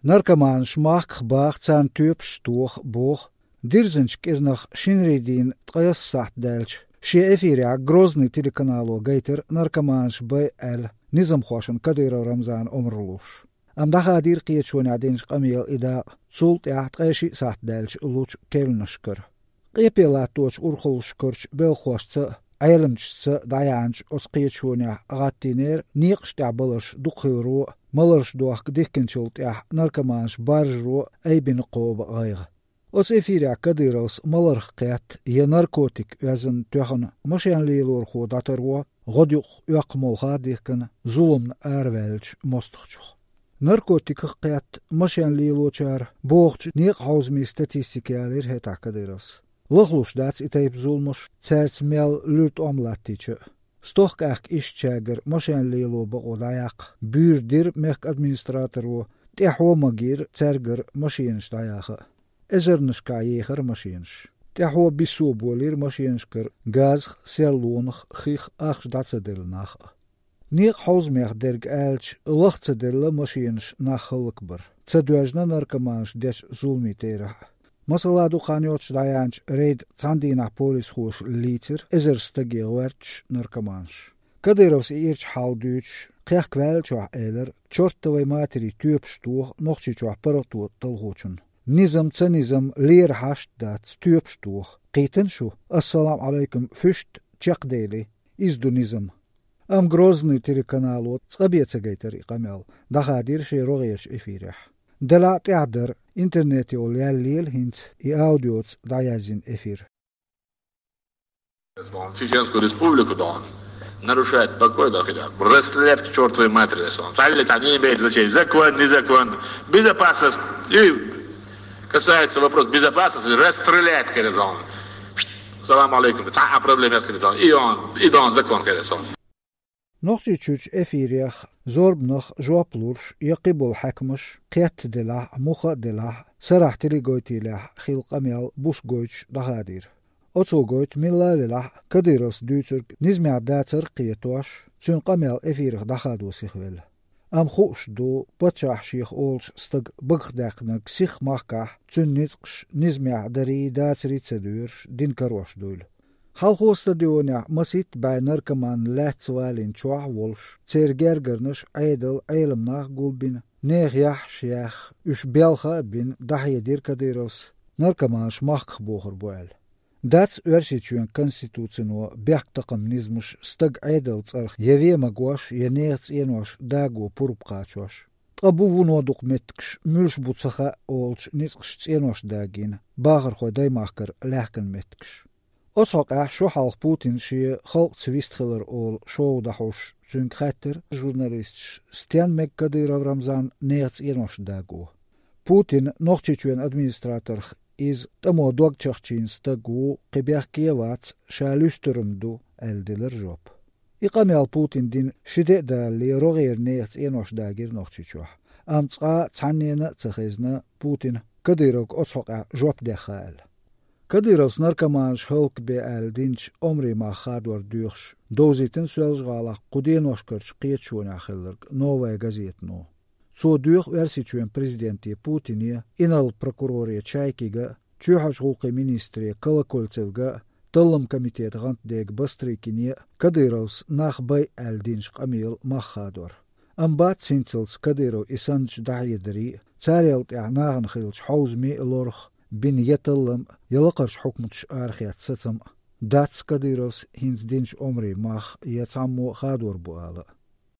Narkaman schmach bach zan typ stoch boch, dirzench kirnach shinridin tqayas saht delch. Ши эфире грозный телеканалу гейтер наркоманш БЛ низам хошен Кадыров Рамзан Омрлуш. Ам дахадир қиечуан адинш қамил ида цулт яхт қайши сахт дэлч луч келнышкыр. Қипела точ урхулшкырч белхошца айлымчца даянч ос қиечуан агаттинер ниқшта балыш духиру малырш дуах диккенчулт ях наркоманш баржру айбин қоба ғайғы. Os efiria Kadyrovs malarqat ya narkotik özün töxün maşanlylor xo datarwa godyuq yaqmolxa dekin zulum arvelç mostuqçuq. Narkotik qat maşanlylochar boğç niq hauzmi statistikaler heta Kadyrovs. Lugluş dats itayb zulmuş tsertsmel lürt omlattiçi. Stoqaq işçager maşanlylo boğdayaq bürdir mek administratorwo tehomagir tserger maşinşdayağı. Ezernishka yeger machines. Tehwa bisu bolir machineskar gaz selonach khikh ach datsedelnach. Niq hausmech derg elch lachtsedelle machines nachhalkbar. Tsedwajna narkomans des zulmitera. Masala du khanyoch dayanch reid tsandina polis khosh liter ezerstagi werch narkomans. Kadyrovs irch halduch qeq kwelch eler chortway materi typ stoch nochchichoch paratu talgochun. Nizam tsanizam leer hasht dat stupstoch. Qiten shu. Assalamu alaikum füşt chaqdeli. Izdu nizam. Am grozny telekanalot tsqabietsa gayter iqamel. Dahadir shirogirch efirih. Dala teader interneti ol yallil hint I audiots dayazin efir. Чеченскую республику, да, нарушает покой, да, хотя расстрелять к чертовой матери, там не имеет значения, закон, не закон, безопасность, и касается вопрос безопасности, расстрелять, конечно. Салам алейкум, это проблема, конечно. И он закон, конечно. Nochtje chuch efiriach zorb noch joaplursh yaqibul hakmush qiyat dela mukha dela sarahtili goitila khilqamel busgoich dahadir. Otso goit milavela Kadyrovs dutsur nizmia datser qiyatosh tsunqamel efirih dahadu sikhvel. Am khosh do patchah shikh olch stag bagdaqna ksikh mahkah tsunnitqsh nizmia dari datsri tsadur din karosh dul. Halko stadionia masit bij narkoman lehtswalin chwa wolsh tsergergernish aidel eilemnach gulbin negjah shiach us belga bin dahyedir Kadyrovs narkoman shmach boger boel. Dats versituen konstitutsino bergtaqamnizmush stag aidel tsarg yeve magwash yenerts enosh dago purupqachosh. Qabuvuno dokumentksh mulsh butsaha olch nitsqsh enosh dagin bagar khoday mahker lehken metksh. Otsaq sho halq Putin shi khalq twistgeler ol show dahosh zünkhater journalist Stenmek Kadyrov Ramzan nerts enosh dago. Putin nochtchuen administrator is tamo dogchachin stagu qibyakiewats shalustrumdu eldeler job. Iqamel Putin din shide da li roger nerts enosh dagir nochtchichwa. Amtsqa tsanena tsakhizna Putin Kadyrov otsaq job dekhal. Kadyrovs narkoman shulk be aldinch omri ma khadwar dukhsh dozitin swelzgalaq qudenoshkirch qietshuna khillerg novaya gazetno. Zo duch versituen presidenti Putinie inal prokurorie Chaykiga chuhaj huquqi ministri Kolokoltsevga tallam komitet gantdeg bastrikinie Kadyrovs nakhbay aldinch qamil makhadwar. Ambat sintsels Kadyrov isanch dahyedri tsarelt nagan khilch hauzmi lorch bin yetallam yalaqarsh hukmutsh arkhiyat satsam dats Kadyrovs hins dinch omri mach yatsammo khadwar buala.